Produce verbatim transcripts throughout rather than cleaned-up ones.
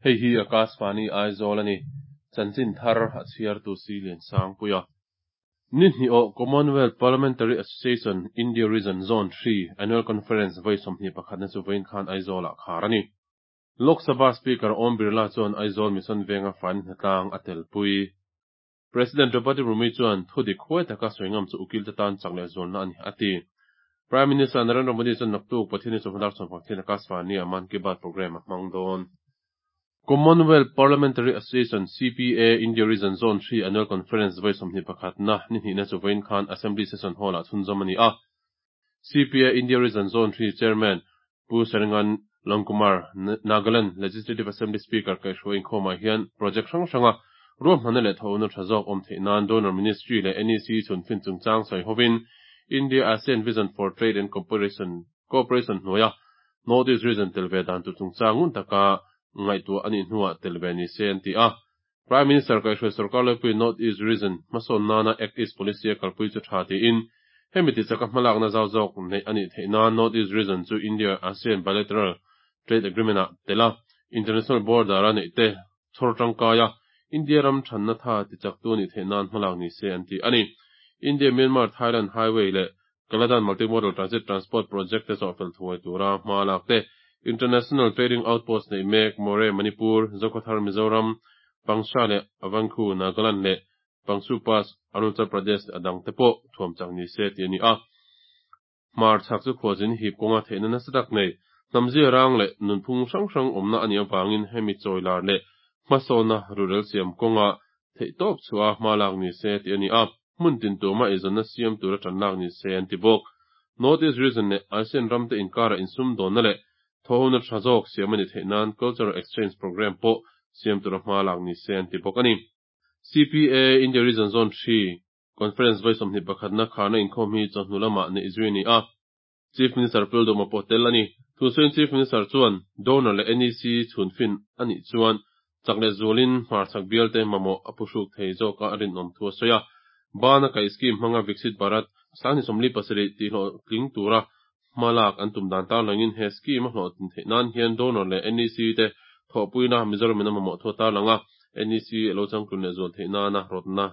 Hei hi Akashvani Aizawl a ni. Chanchin thar a chhiartu Silian Sangpuia. Ni hnih awh Commonwealth Parliamentary Association India Region Zone three Annual Conference vawi sawmhnih pakhatna chu vawiin khan Aizawlah khar a ni. Lok Sabha Speaker Om Birla chuan Aizawl Mission Venga faina hnatlang a telpui. President Draupadi Murmu chuan thu dik huai taka sawi ngam chu ukil te tan chak leh zualna a ni a ti. Prime Minister Narendra Modi chuan naktuk Pathian ni chawhma dar sawm pakhat Akashvani-ah Mann Ki Baat programme a hmang dawn. Commonwealth Parliamentary Association, C P A, India Region Zone three Annual Conference vawi sawmhnih pakhatna ni hnihna chu vawiin khan Assembly Session Hall-ah chhunzawm a ni a. C P A India Region Zone three Chairman Pu Sharingan Longkumer, Nagaland Legislative Assembly Speaker kaihhruai inkhawmah hian project hrang hranga ruahmanna leh thawhna tha zawk awm theih nan Donor Ministry leh N E C chhunfin chungchang sawi hovin India ASEAN Vision for Trade and Cooperation Cooperation hnuaia North East Region tel ve dan tur chungchang ngun taka ngaihtuah anih hnuah tel ve ni se an ti a. Prime Minister kaihhruai sarkar laipui North East Region hmasawn nana Act East Policy a kalpui chu tha tiin hemi ti chaka hmalakna zau zawk neih anih theih nan North East Region chu India ASEAN Bilateral Trade Agreement ah tela International Border a neih te chhawr tangkaia India ram thanna tha ti chak tu anih theih nan hmalak ni se an ti ani. India Myanmar Thailand Highway leh Kaladan Multimodal Transit Transport Project te chawhfel thuai tura hma lak te, International Trading Outpost nei mek Moreh Manipur, Zokhawthar Mizoram, Pangsha leh Avangkhu Nagaland leh Pangsu Pass Arunachal Pradesh leh a dang te pawh thuam chak ni se ti a ni a. Hmar chhak chu khualzin hip kawnga theihna nasa tak nei, hnamzia rang leh nunphung hrang hrang awmna a nih avangin hemi chawilar leh hmasawnna rurel siam kawnga theih tawp chhuah a hma lak ni se ti a ni a. Hmun tin tuma eizawnna siam tura tan lak ni se an ti bawk. North East Region leh ASEAN ram te inkara insum dawnna leh thawhna tha zawk siam a ni theih nan Cultural Exchange Programme pawh siam tura hma lak ni se an ti bawk a ni. C P A India Region Zone three Conference vawi sawmhnih pakhatna kharna inkhawm hi chawhnu lamah neih zui a ni a. Chief Minister Pu Lalduhoma pawh tel a ni. Thusawiin Chief Minister chuan Donor leh N E C chhunfin anih chuan chak leh zualin hmarchhak bial te mamawh a phuhruk thei zawka a rinawm thu a sawi a. Bana Kaih Scheme hmanga Viksit Bharat sangni sawmli pasarih tihhlawh tling tura hmalak an tum dan tarlangin he scheme a hlawhtlin theih nan hian donor leh N E C te thawhpuina Mizoramin a mamawh thu a tarlang a, N E C lo changtlun leh zual theih nana rawtna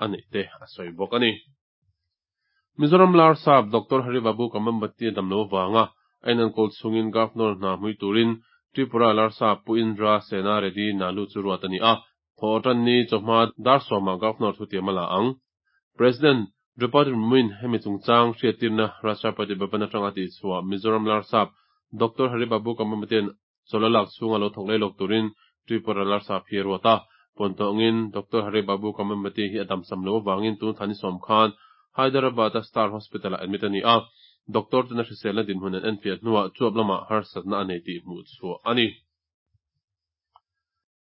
a neih te a sawi bawk a ni. Mizoram Larsap Doctor Haribabu Kambhampati a damlo avanga a inenkawl chungin Governor hna hmui turin Tripura Larsap Pu Indra Sena Reddy Nallu chu ruat a ni a. Thaw tan ni chawhma dar sawmah Governor thutiam a la ang. President Draupadi Murmu-in hemi chungchang hriattirna Rashtrapati Bhavan atanga tih chhuah Mizoram Larsap Doctor Haribabu Kambhampati'n chawlh a lak chhunga lo thawk lei lawk turin Tripura Larsap hi a ruat a. Puantawngin Doctor Haribabu Kambhampati hi a damsam lo avangin tun thla ni sawm khan Hyderabad a Star Hospital ah admit a ni a. Doctor ten a hriselna dinhmun an enfiah hnuah chuap lamah harsatna a nei tih hmuh chhuah a ni.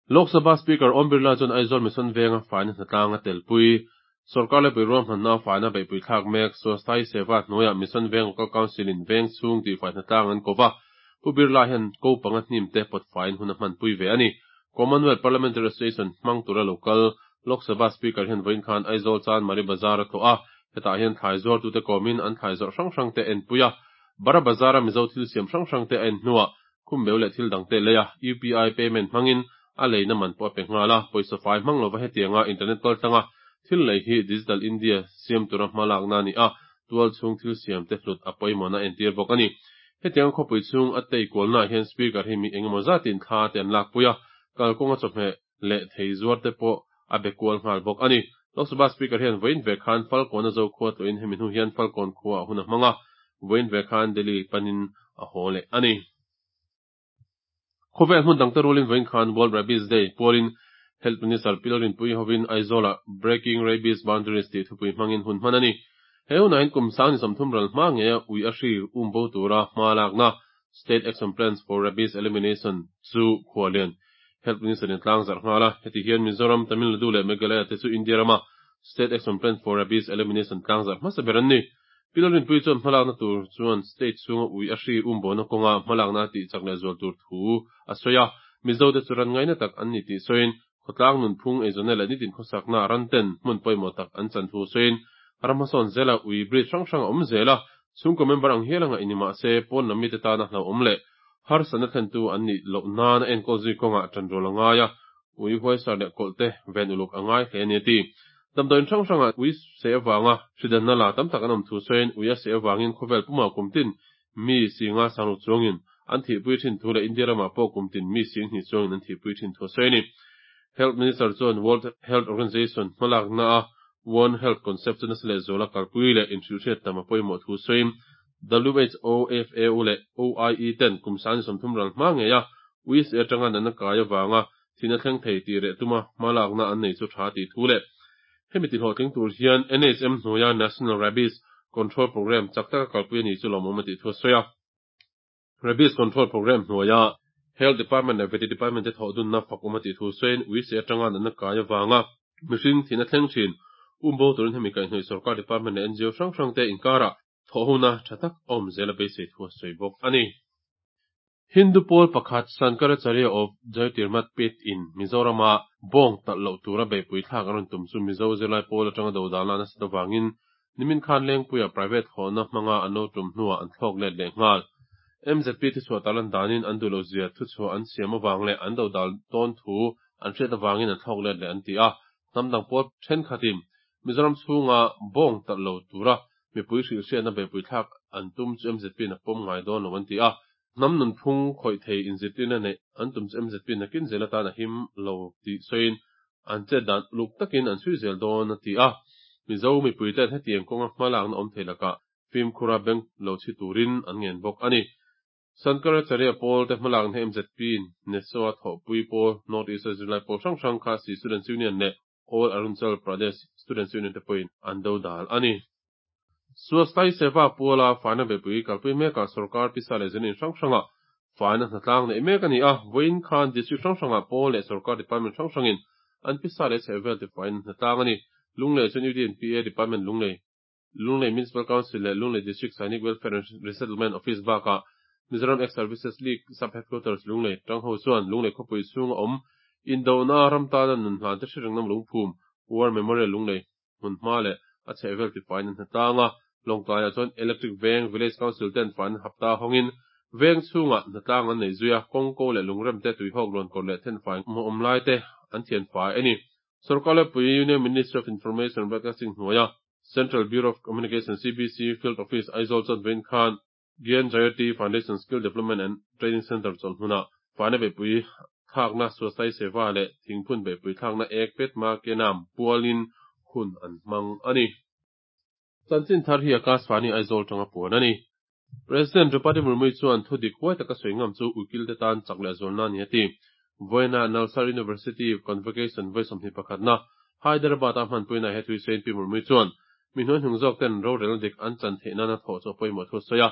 Lok Sabha Speaker Om Birla chuan Aizawl Mission Venga faina hnatlang a telpui. Sarkar laipui ruahmanna faina beihpui thlak mek Swasthya Seva hnuaiah Mission Veng Local Council in veng chhung tihfai hnatlang an ko va. Pu Birla hian ko panga hnim te pawt faiin hun a hmanpui ve a ni. Commonwealth Parliamentary Association hmang tura local Lok Sabha Speaker hian vawiin khan Aizawl Chanmari Bazar a tlawh a, hetah hian thlai zuar tute kawmin an thlai zawrh hrang hrang te a enpui a. Bara Bazar a Mizo thil siam hrang hrang te a en hnuah khumbeu leh thil dang te lei a, U P I payment hmangin a leina man pawh a pe nghal a. Pawisa fai hmang lova hetianga internet kal tlanga thil lei hi Digital India siam tura hmalak na ni a, tual chhung thil siam te hlut a pawimawhna a entir bawk a ni. Hetianga khawpui chhung a tei kualnaah hian Speaker hi mi engemaw zatin thla te an lakpui a, kalkawnga chawhmeh leh thei zuar te pawh a be kual nghal bawk a ni. Lok Sabha Speaker hian vawiin ve khan Falkawn a zo khua tlawhin hemi hnu hian Falkawn khua a hun a hmang a, vawiin ve khan Delhi panin a haw leh a ni. Khawvel hmun dang te rualin vawiin khan World Rabies Day pualin Health Minister Pi Lalrinpuii hovin Aizawlah Breaking Rabies Boundaries tih thupui hmangin hun hman a ni. He hunah hian kum sangni sawmthum ral hma ngeia ui a hri um bo tura hma lakna State Action Plans for Rabies Elimination chu khuallian Health Minister in tlang zarh nghal a. Heti hian Mizoram, Tamil Nadu leh Meghalaya te chu India rama State Action Plan for Rabies Elimination tlang zarh hmasa ber an ni. Pi Lalrinpuii chuan hmalakna tur chuan state chhunga ui a hri um bona kawnga hmalakna tih chak leh zual tur thu a sawi a. Mizo te chu ran ngaina tak an ni tih sawiin khawtlang nunphung eizawnna leh nitin khawsakna ran ten hmun pawimawh tak an chan thu sawiin ram hmasawn zela ui breed hrang hrang a awm zel a, chhungkaw member ang hial anga ini mahse pawn lam mite tana hlauhawm leh Harsatna thlentu an nih loh nana enkawl zui kawngah ṭanrual a ngai a, ui huaisar leh kawlh te ven uluk a ngai hle a ni a ti. Damdawiin hrang hrangah ui seh avanga hridanna la tam tak an awm thu sawiin ui a seh avangin khawvel pumah kum tin mi singa sangruk chuangin an thihpui thin thu leh India ramah pawh kum tin mi sing hnih chuangin an thihpui thin thu a sawi a ni. Health Minister chuan World Health Organization hmalakna a One Health concept chu nasa lehzuala kalpui leh inhrilhhriat tam a pawimawh thu sawiin W H O, F A O leh O I E ten kum sang sawmthum ral hma ngei a ui seh atanga natna kai avanga thihna thleng thei tih reh tuma hmalakna an nei chu tha tih thu leh hemi ti hlawhtling tur hian N H M hnuaia National Rabies Control Program chak taka kalpui ani chu lawmawm a tih thu a sawi a. Rabies Control Program hnuaia Health Department leh Vety Department te thawh dunna fakawm a tih thu sawiin ui seh atanga natna kai avanga mihring thihna thleng thin umbo turin hemi kaihhnawih sorkar department leh N G O hrang hrang te inkarah thawh hona tha tak awm zel a beisei thu a sawi bawk a ni. Hindu pawl pakhat Shankaracharya of Jyotirmath Peeth in Mizorama bawng talh loh tura beihpui thlak an rawn tum chu Mizo zirlai pawl atanga dodalna nasat avangin nimin khan Lengpuia private thlawhna hmanga an lo tum hnuah an thlawk let leh nghal. M Z P thuchhuah tarlan danin an duh lo zia thuchhuah an siam awang leh an dodal tawn thu an hriat awangin an thlawk let leh an ti a. Hnam dang pawl thenkhatin Mizoram chhunga bawng talh lo tura mipui hrilhhriatna beihpui thlak an tum chu M Z P na pawm ngai dawn lo an ti a. Hnam nunphung khawih thei inzirtirna neih an tum chu M Z P nakin zel atan a him lo tih sawiin an chet dan uluk takin an chhui zel dawn a ti a. Mizo mipui ten hetiang kawnga hmalakna awm thei lakah fimkhura beng lo chhi turin an ngen bawk a ni. Shankaracharya pawl te hmalakna M Z P NESO a thawhpui pawl North East zirlai pawl hrang hrang Khasi Students Union leh All Arunachal Pradesh Students Union te pawhin an dodal a ni. Swasthya Seva puala faina beihpui kalpui mekah sorkar pisa leh zirlai hrang hranga faina hnatlang neih mek a ni a. Vawiin khan district hrang hrangah pawl leh sorkar department hrang hrangin an pisa leh chhehvel te fain hnatlang a ni. Lunglei chuan U D N P A Department Lunglei, Lunglei Municipal Council leh Lunglei District Sainik Welfare and Resettlement Office bakah Mizoram Ex Services League Sub Headquarters Lunglei tangho chuan Lunglei khawpui chhunga awm indona ram tana nun hlan te hre ringnam lungphum War Memorial Lunglei hmun hma leh a chhehvel ti fain an hnatlang a. Lawngtlaiah chuan Electric Veng Village Council ten fain hapta hawngin veng chhunga hnatlang an nei zui a, kawngko leh lungrem te tuihawk luan kawr leh then fai awm lai te an thian fai a ni. Sorkar lepui Union Ministry of Information and Broadcasting hnuaia Central Bureau of Communication C B C Field Office Aizawl chuan vawiin khan Gyan Jyoti Foundation Skill Development and Training Center chawlhhmunah faina beihpui thlakna Swasthya Seva leh thingphun beihpui thlakna Ek Ped Maa Ke Naam pualin hun an hmang a ni. Chanchin thar hi Akashvani Aizawl tanga puan a ni. President Draupadi Murmu chuan thu dik huai taka sawi ngam chu ukil te tan chak leh zawlna ni a ti. Vawiina Nalsar University Convocation vawi sawmhnih pakhatna Hyderabad a hmanpuina he thui sawiin Pi Murmu chuan mi hnuai hnung zawk ten rorel dik an chan theih nana thawh chu a pawimawh thu a sawi a.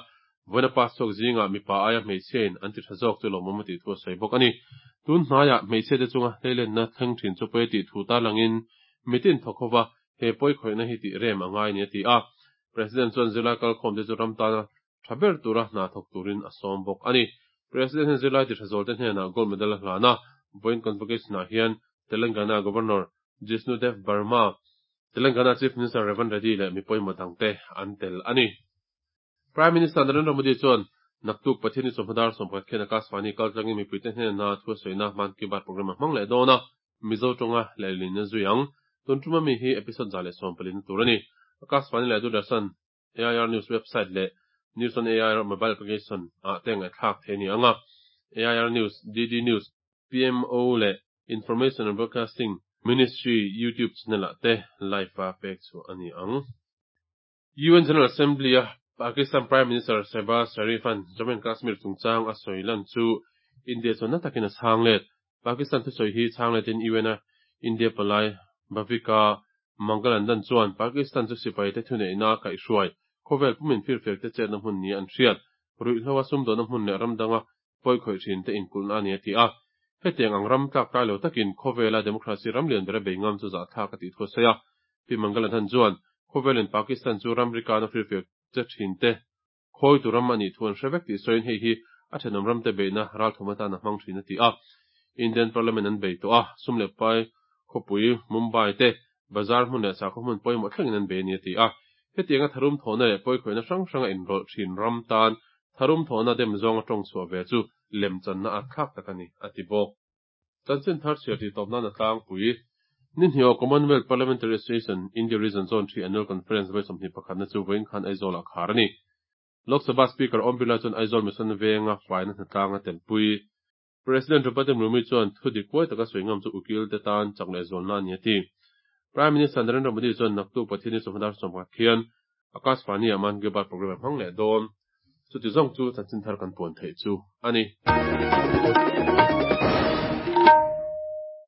Vawiina pass chhuak zinga mipa aia hmeichhia in an ti tha zawk chu lawmawm a tih thu a sawi bawk a ni. Tun hnaiah hmeichhia te chunga hleilenna thleng thin chu pawi tih thu tarlangin mitin thawk hova he pawi khawihna hi tih rem a ngai ni a ti a. President chuan zirlai kalkhawm te chu ram tana tha ber tura hna thawk turin a sawm bawk a ni. President hian zirlai ti tha zawl te hnenah gold medal a hlana. Vawiin convocation ah hian Telangana Governor Jishnu Dev Varma, Telangana Chief Minister Revanth Reddy leh mi pawimawh dang te an tel a ni. Prime Minister Narendra Modi chuan naktuk Pathianni chawhmadar sawmpakhat khian Akashvani kaltlangin mipui te hnena thu a sawina Mann Ki Baat program a hmang leh dawn a, Mizo tawnga lehlin a zui ang. Tun tuma mi hi episode za leh sawm palin tur a ni. Akashvani leh Doordarshan, A I R News website leh News on A I R mobile application ah te ngaihthlak thei ni anga. A I R News, D D News, P M O leh Information and Broadcasting Ministry YouTube channel ah te live a pek chu ani ang. U N General Assembly a Pakistan Prime Minister Shehbaz Sharif an Jammu and Kashmir chungchang a sawi lan chu India chuan na takin a chhang let. Pakistan thu sawi hi chhang letin U N a India palai Bhavika Mangalandan chuan Pakistan chu sipai te thuneihna kaihhruai khawvel pumin firfiak te chetna hmun ni an hriat ruihhlo a sumdawhna hmun leh ramdanga pawi khawih thin te inkulhna ani a ti a. Hetiang ang ram tlak tlai lo takin khawvela democracy ram lian bera bei ngam chu zah thlak a tih thu a sawi a. Pi Mangalandan chuan khawvelin Pakistan chu ram rikana firfiak che thin te khawi tu ram ani thu an hre vek tih sawiin hei hi a thenawm ram te beihna ral thum atan a hmang thin a ti a. Indian Parliament an bei tawh a, sum leh pai khawpui Mumbai te bazar hmun leh sakhaw hmun pawimawh thlengin an bei ani a ti a. Hetiang a tharum thawhna leh pawi khawihna hrang hranga inrawlh thin ram tan Tharum thawhna dem zawnga tawng chhuah ve chu lemchanna atthlak tak a ni, a ti bawk. Chanchin thar chhiar tih tawp nan a tlangpui. Ni hnih aw Commonwealth Parliamentary Association India Region Zone three Annual Conference vawi sawmhnih pakhatna chu vawiin khan Aizawl-ah khar a ni. Lok Sabha Speaker Om Birla chuan Aizawl Mission venga faina hnatlang a telpui. President Draupadi Murmu chuan thu dik huai taka sawi ngam chu ukil te tan chak leh zualna a ni a ti. Prime Minister Narendra Modi chuan naktuk Pathian ni sawmhnih dar sawmkhat khian Akashvani-ah Mann Ki Baat programme a hmang leh dawn. Chuti zawng chu chanchin thar kan puan theih chu a ni.